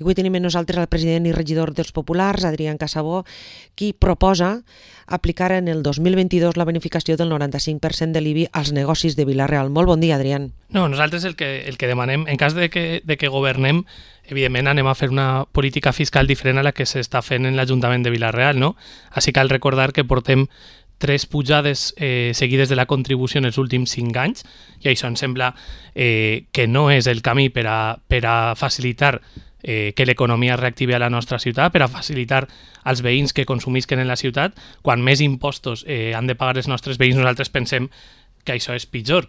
I avui tenim amb nosaltres el president i regidor dels Populars, Adrián Casabó, qui proposa aplicar en el 2022 la bonificació del 95% de l'IBI als negocis de Vila-real. Molt bon dia, Adrián. No, nosaltres el que demanem, en cas de que governem, evidentment anem a fer una política fiscal diferent a la que s'està fent en l'Ajuntament de Vila-real, no? Així cal recordar que portem 3 pujades seguides de la contribució en els últims 5 anys, i això ens sembla que no és el camí per a facilitar que l'economia es reactivi a la nostra ciutat, per a facilitar als veïns que consumisquen en la ciutat. Quan més impostos han de pagar els nostres veïns, nosaltres pensem que això és pitjor.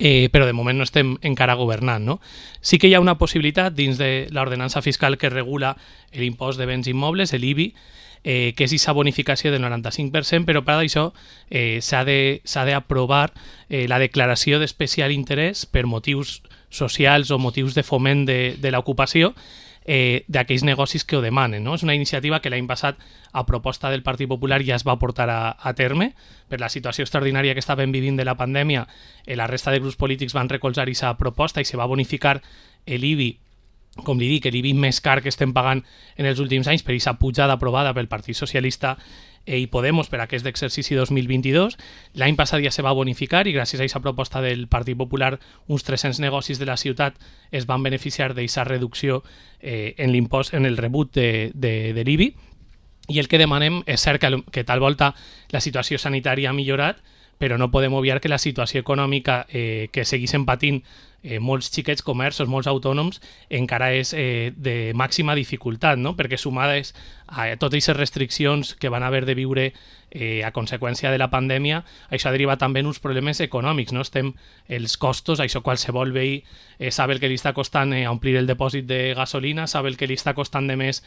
Però de moment no estem encara governant, no? Sí que hi ha una possibilitat dins de l'ordenança fiscal que regula l'impost de béns immobles, l'IBI, que és aquesta bonificació del 95%, però per això s'ha d'aprovar la declaració d'especial interès per motius socials o motius de foment de l'ocupació d'aquells negocis que ho demanen, no? És una iniciativa que l'any passat, a proposta del Partit Popular, ja es va portar a terme. Per la situació extraordinària que estàvem vivint de la pandèmia, la resta de grups polítics van recolzar aquesta proposta i se va bonificar l'IBI, com li dic, l'IBI més car que estem pagant en els últims anys per aquesta pujada aprovada pel Partit Socialista i Podemos per aquest exercici 2022. L'any passat ja se va bonificar i gràcies a aquesta proposta del Partit Popular uns 300 negocis de la ciutat es van beneficiar d'aquesta reducció en l'impost, en el rebut de l'IBI. I el que demanem és cert que tal volta la situació sanitària ha millorat, però no podem obviar que la situació econòmica que segueixen patint molts xiquets comerços, molts autònoms, encara és de màxima dificultat, no? Perquè sumades a totes aquestes restriccions que van haver de viure a conseqüència de la pandèmia, això deriva també en uns problemes econòmics, no? Els costos, això qualsevol veí sap el que li està costant omplir el depòsit de gasolina, sap el que li està costant de més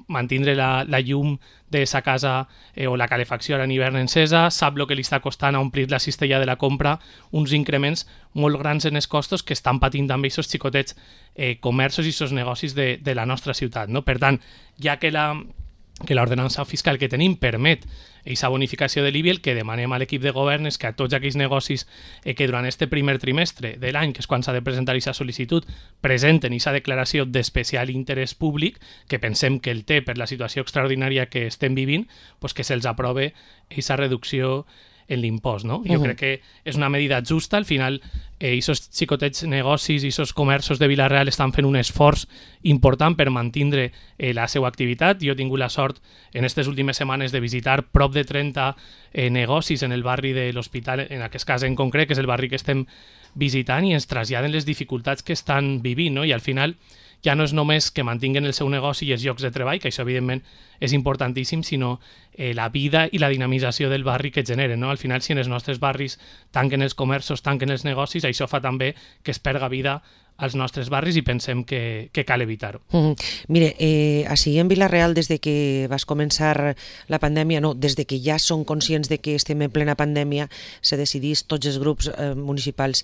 mantindre la llum de sa casa o la calefacció a l'hivern encesa, sap el que li està costant omplir la cistella de la compra, uns increments molt grans en els costos que estan patint també aquests xicotets comerços i aquests negocis de la nostra ciutat, no? Per tant, ja que l'ordenança fiscal que tenim permet aquesta bonificació de l'IBI, el que demanem a l'equip de govern és que a tots aquells negocis que durant este primer trimestre de l'any, que és quan s'ha de presentar aquesta sol·licitud, presenten aquesta declaració d'especial interès públic, que pensem que el té per la situació extraordinària que estem vivint, doncs que se'ls aprove aquesta reducció en l'impost, no? Jo crec que és una medida justa. Al final, aquests xicotets negocis i aquests comerços de Vila-real estan fent un esforç important per mantindre la seva activitat. Jo he tingut la sort en aquestes últimes setmanes de visitar prop de 30 negocis en el barri de l'Hospital, en aquest cas en concret, que és el barri que estem visitant, i ens traslladen les dificultats que estan vivint, no? I al final ja no és només que mantinguen el seu negoci i els llocs de treball, que això evidentment és importantíssim, sinó la vida i la dinamització del barri que generen, no? Al final, si en els nostres barris tanquen els comerços, tanquen els negocis, això fa també que es perga vida als nostres barris i pensem que cal evitar-ho. Mire, així en Vila-real, des de que vas començar la pandèmia, no, des de que ja són conscients de que estem en plena pandèmia, se decidís tots els grups municipals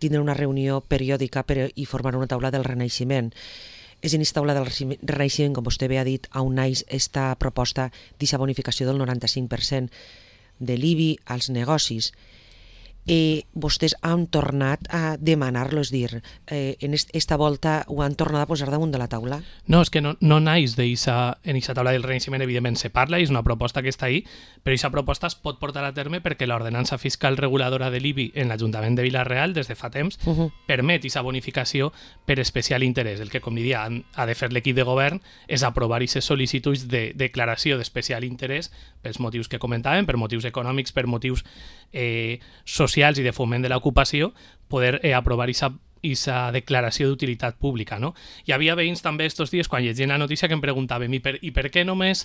tindre una reunió periòdica i formar una taula del renaixement. És en aquesta taula del renaixement, com vostè bé ha dit, on naix aquesta proposta d'aquesta bonificació del 95% de l'IBI als negocis. Vostès han tornat a demanar-lo, és dir, en esta volta ho han tornat a posar damunt de la taula? No, és que no naix en aquesta taula del renaixement, evidentment se parla, és una proposta que està ahí, però aquesta proposta es pot portar a terme perquè l'ordenança fiscal reguladora de l'IBI en l'Ajuntament de Vila-real, des de fa temps, permet aquesta bonificació per especial interès. El que, com diria, ha de fer l'equip de govern és aprovar aquestes sol·licituds de declaració d'especial interès pels motius que comentàvem, per motius econòmics, per motius socials i de foment de l'ocupació, poder aprovar aquesta declaració d'utilitat pública, no? Hi havia veïns també estos dies, quan llegien la notícia, que em preguntaven i per què només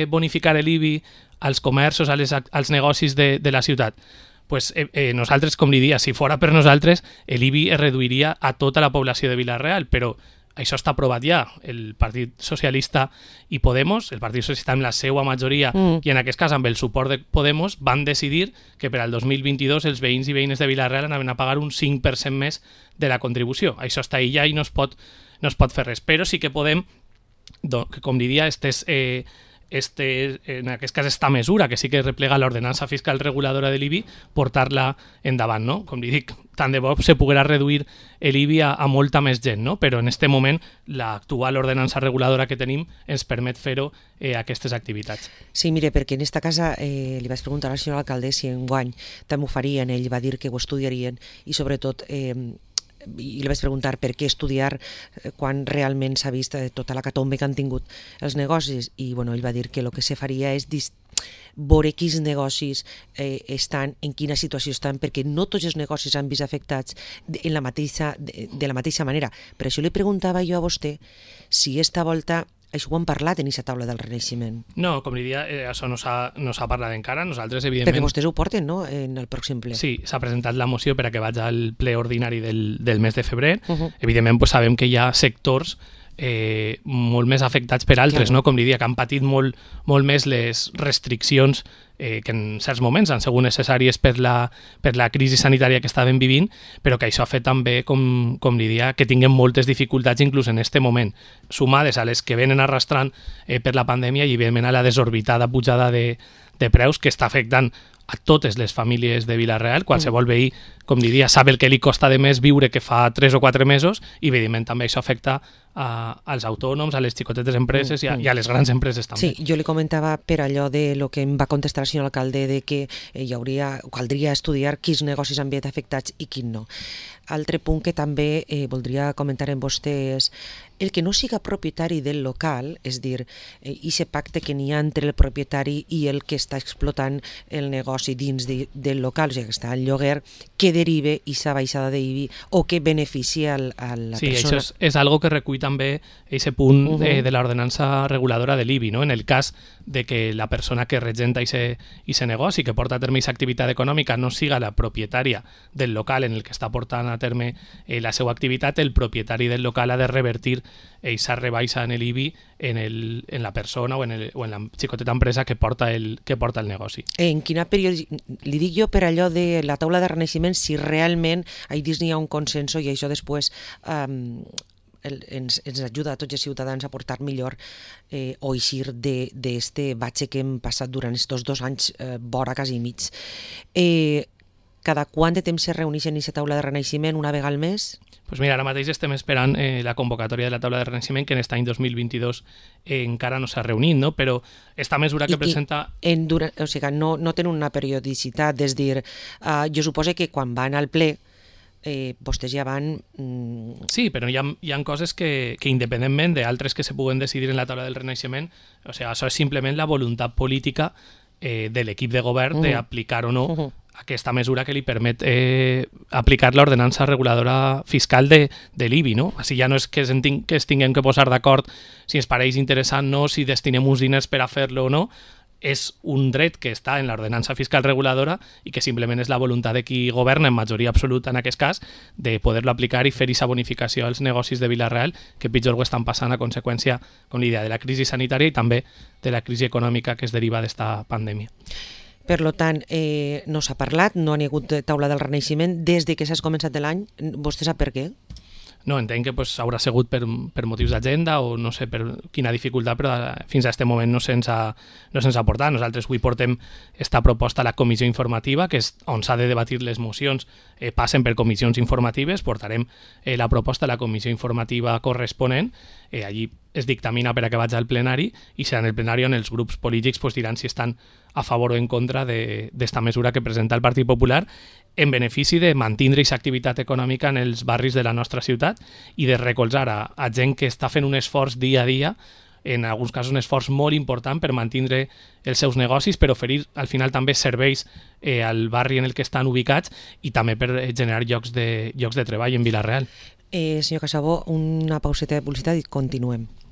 bonificar l'IBI als comerços, als negocis de la ciutat? Pues nosaltres, com li dia, si fora per nosaltres, l'IBI es reduiria a tota la població de Vila-real, però això està aprovat ja. El Partit Socialista i Podemos, el Partit Socialista amb la seva majoria i en aquest cas amb el suport de Podemos, van decidir que per al 2022 els veïns i veïnes de Vila-real anaven a pagar un 5% més de la contribució. Això està ahí ja i no es pot fer res. Però sí que podem, com diria, aquestes en aquest cas esta mesura, que sí que replega l'ordenança fiscal reguladora de l'IBI, portar-la endavant, no? Com li dic, tant de bo se poguera reduir l'IBI a molta més gent, no? Però en aquest moment l'actual ordenança reguladora que tenim ens permet fer-ho a aquestes activitats. Sí, mire, perquè en esta casa li vaig preguntar al senyor alcalde si enguany també ho farien, ell va dir que ho estudiarien i sobretot i li vaig preguntar per què estudiar quan realment s'ha vist tota la catombe que han tingut els negocis i bueno, ell va dir que el que se faria és veure quins negocis estan, en quina situació estan, perquè no tots els negocis han vist afectats de la mateixa manera. Per això li preguntava jo a vostè si esta volta això ho hem parlat en aquesta taula del Renaixement. No, com li dia, això no s'ha parlat encara. Nosaltres, evidentment... Perquè vostès ho porten, no?, en el pròxim ple. Sí, s'ha presentat la moció per a que vagi al ple ordinari del mes de febrer. Evidentment, pues, sabem que hi ha sectors molt més afectats per altres, no? Com li dia, que han patit molt més les restriccions que en certs moments han sigut necessàries per la crisi sanitària que estàvem vivint, però que això ha fet també, com li dia, que tinguem moltes dificultats inclús en aquest moment, sumades a les que venen arrastrant per la pandèmia i evidentment a la desorbitada pujada de preus que està afectant a totes les famílies de Vila-real. Qualsevol veí, com diria, sap el que li costa de més viure que fa 3 o 4 mesos i evidentment també això afecta als autònoms, a les xicotetes empreses i a les grans empreses també. Sí, jo li comentava per allò de lo que em va contestar el senyor alcalde de que caldria estudiar quins negocis han estat afectats i quins no. Altre punt que també voldria comentar amb vostè és el que no siga propietari del local, és dir, aquest pacte que n'hi ha entre el propietari i el que està explotant el negoci dins del local, o sigui, que està al lloguer, que derive aquesta baixada d'IBI o que beneficia a la persona. Sí, això és algo que recull també aquest punt de l'ordenança reguladora de l'IBI, no? En el cas de que la persona que regenta aquest negoci, que porta a terme aquesta activitat econòmica, no siga la propietària del local en el que està portant a terme la seva activitat, el propietari del local ha de revertir aquesta rebaixa en l'IBI en la persona o en la xicoteta empresa que porta el negoci. En quina li dic jo per allò de la taula de Renaixement, si realment ahí dins n'hi ha un consens i això després ens ajuda a tots els ciutadans a portar millor o eixir d'este batxe que hem passat durant aquests 2 anys vora quasi mig. Cada quant de temps se reuneixen en aquesta taula de Renaixement, una vegada al mes? Pues mira, ara mateix estem esperant la convocatòria de la taula de Renaixement, que en aquest any 2022 encara no s'ha reunit, no? Però esta mesura que presenta... O sigui, no tenen una periodicitat, és dir, jo suposo que quan van al ple vostès ja van... Sí, però hi ha coses que independentment d'altres que se puguen decidir en la taula del Renaixement, o sigui, això és simplement la voluntat política de l'equip de govern d'aplicar o no aquesta mesura que li permet aplicar l'ordenança reguladora fiscal de l'IBI, no? Així ja no és que es tinguem que posar d'acord si ens pareix interessant no, si destinem uns diners per a fer-lo o no, és un dret que està en l'ordenança fiscal reguladora i que simplement és la voluntat de qui governa en majoria absoluta en aquest cas de poder-lo aplicar i fer aquesta bonificació als negocis de Vila-real que pitjor ho estan passant a conseqüència, com l'idea, de la crisi sanitària i també de la crisi econòmica que es deriva d'esta pandèmia. Per tant, no s'ha parlat, no hi ha hagut taula del Renaixement des de que s'ha començat l'any. Vostè sap per què? No, entenc que haurà sigut per motius d'agenda o no sé per quina dificultat, però fins a aquest moment no se'ns ha portat. Nosaltres avui portem esta proposta a la comissió informativa, que és on s'ha de debatir les mocions, passen per comissions informatives, portarem la proposta a la comissió informativa corresponent, allí es dictamina per a que vagi al plenari i serà en el plenari on els grups polítics diran si estan a favor o en contra d'esta mesura que presenta el Partit Popular en benefici de mantenir aquesta activitat econòmica en els barris de la nostra ciutat i de recolzar a gent que està fent un esforç dia a dia, en alguns casos un esforç molt important per mantenir els seus negocis, per oferir al final també serveis al barri en el que estan ubicats i també per generar llocs de treball en Vila-real. Senyor Casabó, una pauseta de publicitat i continuem.